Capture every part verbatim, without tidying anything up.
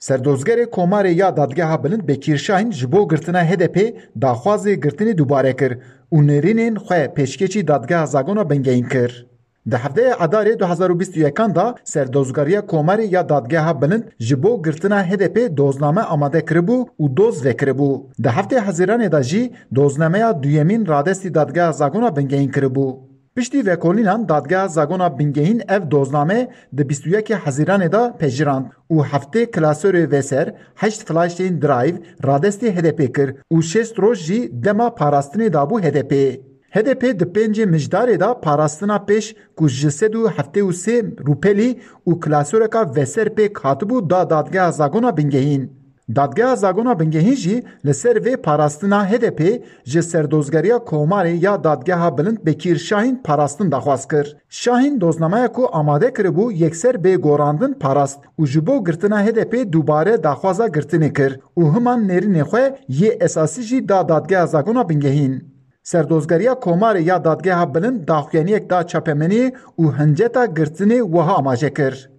Serdozgerê Komarê ya Dadgeha Bilind Bekîr Şahin ji bo girtina H D P daxwazê girtinê dubare kir û nêrînên xwe pêşkêşî Dadgeha Zagona Bingehîn kir. Di heftê Edarê du hezar û bîst û yekan de Serdozgeriya Komarê ya Dadgeha Bilind ji bo girtina H D P dozname amade kiribû û doz vekiribû. Di heftê Hezîranê de jî doznameya duyemîn radestî Dadgeha Zagona Bingehîn kiribû. Piştî vekolînan Dadgeha Zagona Bingehîn ev dozname di bîst û yekê Hezîranê de pejirand û heftê klasorê veser, heşt flaşên drive radestî H D P kir û şêst roj jî dema parastinê dabû H D P. H D P di pêncê Mijdarê de parastina pêş ku ji sed û heftê û sê rûpelî û klasoreka veser pêk hatibû da Dadgeha Zagona Bingehîn. Dadgeha Zagona Bingehîn jî li ser vê parastina H D P ji Serdozgeriya Komarê ya Dadgeha Bilind Bekîr Şahin parastin daxwaz kir. Şahin doznameya ku amade kiribû yekser bê gorandin parast û ji bo girtina H D P dubare daxwaza girtinê kir û himan nêrînê xwe yê esasî jî da Dadgeha Zagona Bingehîn. Serdozgeriya Komarê ya Dadgeha Bilind daxuyaniyek da çapemeniyê û hinceta girtinê wiha amaje kir.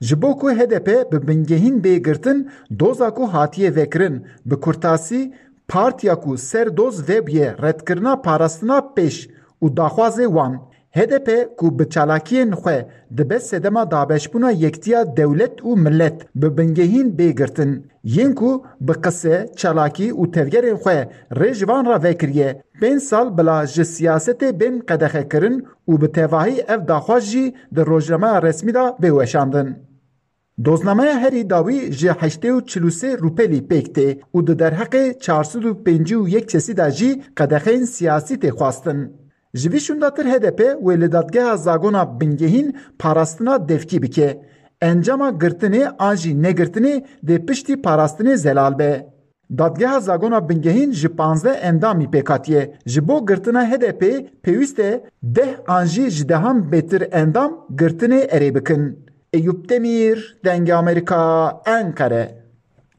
Ji bo ku H D P bi bingehîn bê girtin, doza ku hatiye vekirin, bi kurtasî, partiya ku ser doz vebûye redkirina parastina pêş û daxwazê wan. H D P ku bi çalakiyên xwe dibe sedema dabeşbûna yektiya dewlet û milet, bi bingehîn bê girtin. Yên ku bi qise, çalakî û tevgerên xwe rê ji van re vekiriye, pênc sal bila ji siyasetê bên qedexekirin û bi tevahî ev daxwaz jî di rojnameya resmî de bê weşandin. Doznameya herî dawî ji heştê û çil û sê rûpelî pêk tê û di derheqê çar sed û pêncî û yek kesî de jî qedexeyên siyasî tê xwestin. Ji vî şûndatir H D P wê li Dadgeha Zagona Bingehîn parastina devkî bike. Encama girtinê an jî negirtinê dê piştî parastinê zelal be. Dadgeha Zagona Bingehîn ji panzdeh endamî pêk hatiye. Ji bo girtina H D P pêwîst e deh an jî ji dehan bêtir endam girtinê erê bikin. Eyûp Demîr, Dengê Amerîka, Enqere.